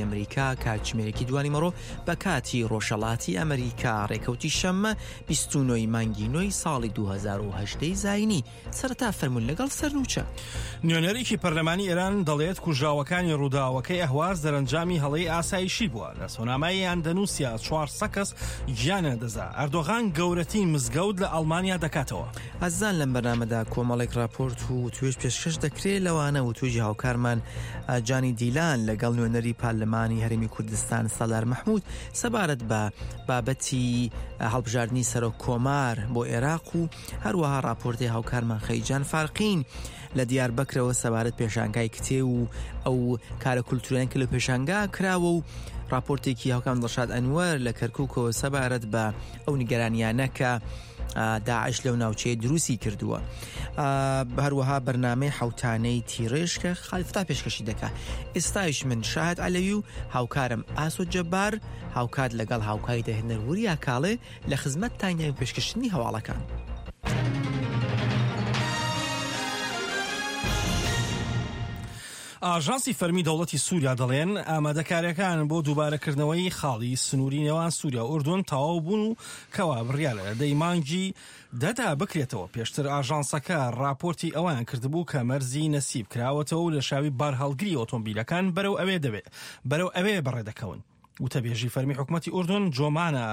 ئەمریکا کاتژمێرێکی دوانیمەڕۆ بە کاتی ڕۆژهەڵاتی ئەمریکا ڕێکەوتی شەممە 29 ی مانگی نۆی ساڵی 2018 زاینی سەرەتا فەرموون لەگەڵ سەرنوچە. نوێنەرێکی پەرلەمانی ئێران دەڵێت کوژراوەکانی ڕووداوەکەی ئەهواز دەرەنجامی هەڵەی ئاسایشی بووە. لە سۆنامای ئەندەنوسیا 400 کەس گیانیان لەدەستدا. ئەردۆغان گەورەترین مزگەوت لە ئەڵمانیا دەکاتەوە. ئازیزان لەم بەرنامەدا کۆمەڵێک راپۆرت و وتوێژ پێشکەش دەکرێت لەوانە وتوێژی هاوکارمان جانی دیلان لەگەڵ نوێنەری پارلمانی هەرێمی کوردستان سالار مەحمود سەبارەت بە بابەتی هەڵبژاردنی سەرۆک کۆمار بۆ عێراق و هەروەها راپۆرتی هاوکارمان خەیجان فارقین لە دیار بەکرەوە سەبارەت پێشانگای کتێ و ئەو کارە کولتوریان کە لە پێشانگا کراوە و راپۆرتێکی هاوکام دڵشاد ئەنوەر لە کەرکووکەوە سەبارەت بە ئەو نیگەرانیانە کە داعش لەو ناوچەیە دروستی کردووە هەروەها بەرنمەی حوتانەی تیڕێژ کە خالیفتا پێشکەشی دەکا ئێستایش من شاهد عەلەوی و هاوکارم ئاسۆ جەبار هاوکات لەگەڵ هاوکاری دەهێنەر وریا کاڵێ لە خزمەت تانیان پێشکەشتنی هەواڵەکان. ئاژانسی فەرمی دەوڵەتی سووریا دەڵێن ئامادەکاریەکان بۆ دووبارەکردنەوەی خاڵی سنووری نێوان سووریا و ئوردون تەواو بوون و کەوا بڕیارە لە دەی مانگی دەدا بکرێتەوە. پێشتر ئاژانسەکە ڕاپۆرتی ئەوەیان کردبوو کە مەرزی نەسیب کراوەتەوە و لێشاوی بارهەڵگری ئۆتۆمبیلەکان بەرەو ئەوێ دەوێ بەرەو ئەوێ بەڕێدەکەون. وتەبێژی فەرمی حکومەتی ئوردون جۆمانە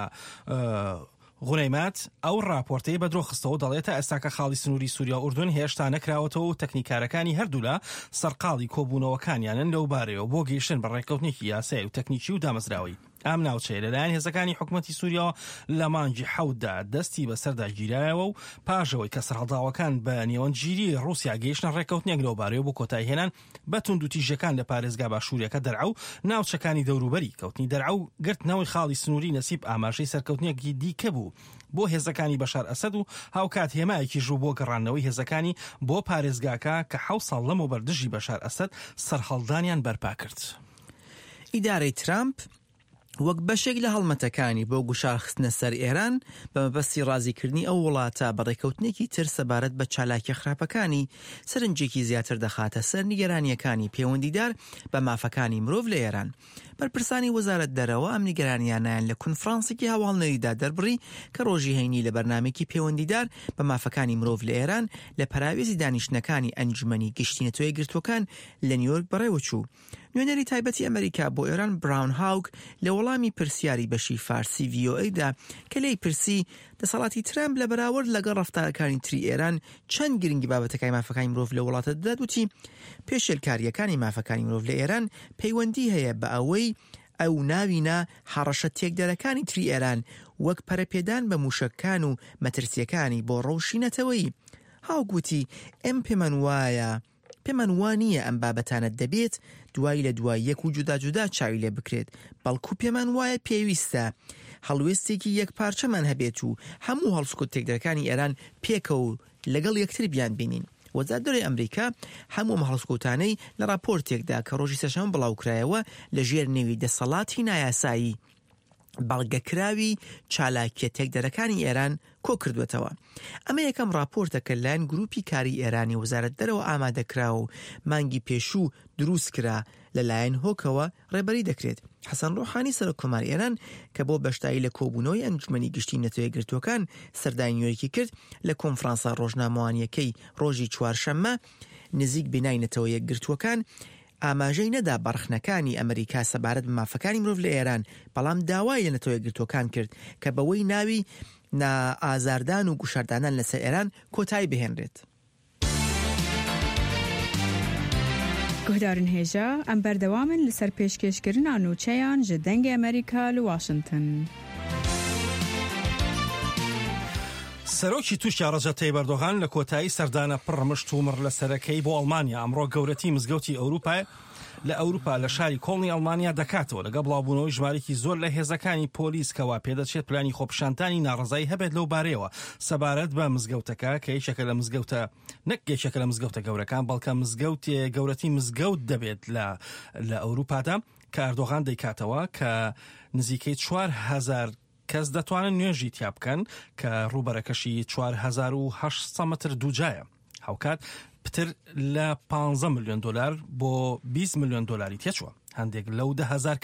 غونەیمات ئەو ڕاپۆرتەی بە درۆ خستەوە و دەڵێت تا ئێستاکە خاڵی سنووری سووریا و ئوردون هێشتا نەکراوەتەوە و تەکنیکارەکانی هەردوولا سەرقاڵی کۆبوونەوەکانیانن لەو بارەیەوە بۆ گەیشتن بە ڕێککەوتنێکی یاسایی و تەکنیکی و دامەزراوەیی. ئەم ناوچەیە لەلایەن هێزەکانی حکومەتی سووریاوە لە مانگی حەوتدا دەستی بەسەردا گیرایەوە و پاش ئەوەی کە سەرهەڵداوەکان بە نێوەندگیری ڕووسیا گەیشتنە ڕێککەوتنێک لەوبارەیەوە بۆ کۆتاییهێنان بە توندوتیژیەکان لە پارێزگا باشووریەکە دەرعا و ناوچەکانی دەوروبەری، کەوتنی دەرعا و گرتنەوەی خاڵی سنووری نەسیب ئاماژەی سەرکەوتنێکی دیکە بوو بۆ هێزەکانی بەشار ئەسەد و هاوکات هێمایەکیش بوو بۆ گەڕاندنەوەی هێزەکانی بۆ پارێزگاکە کە حەوت ساڵ لەمەوبەر دژی بەشار ئەسەد سەرهەڵدانیان بەرپا کرد. ئیدارەی ترامپ وەک بەشێک لە هەڵمەتەکانی بۆ گوشارخستنە سەر ئێران بە مەبەستی ڕازیکردنی ئەو وڵاتە بە ڕێککەوتنێکی تر سەبارەت بە چالاکیە خراپەکانی، سەرنجێکی زیاتر دەخاتە سەر نیگەرانییەکانی پێوەندیدار بە مافەکانی مرۆڤ لە ئێران. بەرپرسانی وەزارەت دەرەوە ئەم نیگەرانییانەیان لە کونفرانسێکی هەواڵنێریدا دەربڕی کە ڕۆژی هەینی لە بەرنامەیەکی پێوەندیدار بە مافەکانی مرۆڤ لە ئێران لە پەراوێزی دانیشتنەکانی ئەنجومەنی گشتی نەتەوەیەکگرتووەکان لە نیویۆرک بەڕێوەچوو. نوێنەری تایبەتی ئەمەریکا بۆ ئێران براون هاوک لە وەڵامی پرسیاری بەشی فارسی ڤی ئۆ ئەیدا کە لێی پرسی دەسەڵاتی ترامپ لە بەراورد لەگەڵ ڕەفتارەکانی تری ئێران چەند گرنگی بابەتەکانی مافەکانی مرۆڤ لە وڵاتە دەدات وتی پێشێلکارییەکانی مافەکانی مرۆڤ لە ئێران پەیوەندی هەیە بە ئەوەی ئەو ناوی نا هەڕەشە تێکدەرەکانی تری ئێران وەک پەرەپێدان بە موشەکان و مەترسییەکانی بۆ ڕەوشی نەتەوەیی. هاوک وتی ئێم پێمان وایە پێمان وا نییە ئەم بابەتانە دەبێت دوای لە دوای یەک و جودا جودا چاوی لێ بکرێت، بەڵکو پێمان وایە پێویستە هەڵوێستێکی یەکپارچەمان هەبێت و هەموو هەڵسوکەوتە تێکدەرەکانی ئێران پێکەوە و لەگەڵ یەکتر بیانبینین. وەزارەت دەرەوەی ئەمریکا هەموو ئەم هەڵسوکەوتانەی لە ڕاپۆرتێکدا کە ڕۆژی سێشەممە بڵاوکرایەوە لە ژێر نێوی دەسەڵاتی نایاسایی بەڵگەکراوی چالاکیە تێکدەرەکانی ئێران کۆکردووەتەوە. ئەمە یەکەم ڕاپۆرتە کە لەلایەن گروپی کاری ئێرانی وەزارەت دەرەوە ئامادەکراوە و مانگی پێشوو دروستکرا، لەلایەن هۆکەوە ڕێبەری دەکرێت. حەسەن ڕۆحانی سەرۆک کۆماری ئێران کە بۆ بەشداری لە کۆبوونەوەی ئەنجومەنی گشتی نەتەوەیەکگرتووەکان سەردانی نیویۆرکی کرد، لە کۆنفرانسە ڕۆژنامەوانییەکەی ڕۆژی چوارشەممە نزیک بینای نەتەوە یەکگرتووەکان ئاماژەی نەدا بە ڕەخنەکانی ئەمریکا سەبارەت بە مافەکانی مرۆڤ لە ئێران، بەڵام داوای لە نەتەوە یەکگرتووەکان کرد کە بەوەی ناوی نا ئازاردان و گوشاردانان لەسەر ئێران کۆتایی بهێنرێت. Guhdarên hêja, em berdewam in li ser pêşkêşkirina nûçeyan ji Dengê Amerîka li Washington. سەرۆکی تورکیا ڕەجەب تەیب ئەردۆغان لە کۆتایی سەردانە پڕ مشت و مڕ لەسەرەکەی بۆ ئەڵمانیا ئەمڕۆ گەورەترین مزگەوتی ئەوروپای لە ئەوروپا لە شاری کۆڵنی ئەڵمانیا دەکاتەوە لەگەڵ بڵاوبوونەوەی ژمارێکی زۆر لە هێزەکانی پۆلیس کەوا پێدەچێت پلانی خۆپیشاندانی ناڕەزایی هەبێت لەو بارەیەوە سەبارەت بە مزگەوتەکە کە یەکێکە لە مزگەوتە نەک یەکێکە لە مزگەوتە گەورەکان بەڵکە مزگەوتێ گەورەترین مزگەوت دەبێت لە لە ئەوروپادا کە ئەردۆغان دەیکاتەوە کە نزیکەی 4000 کەس دەتوانن نوێژی تیا بکەن کە ڕووبەرەکەشی 4800 مەتر دووجایە. هاوکات پتر لە 15 ملیۆن دۆلار بۆ 20 ملیۆن دۆلاری تێچووە. هەندێک لەو 10,000.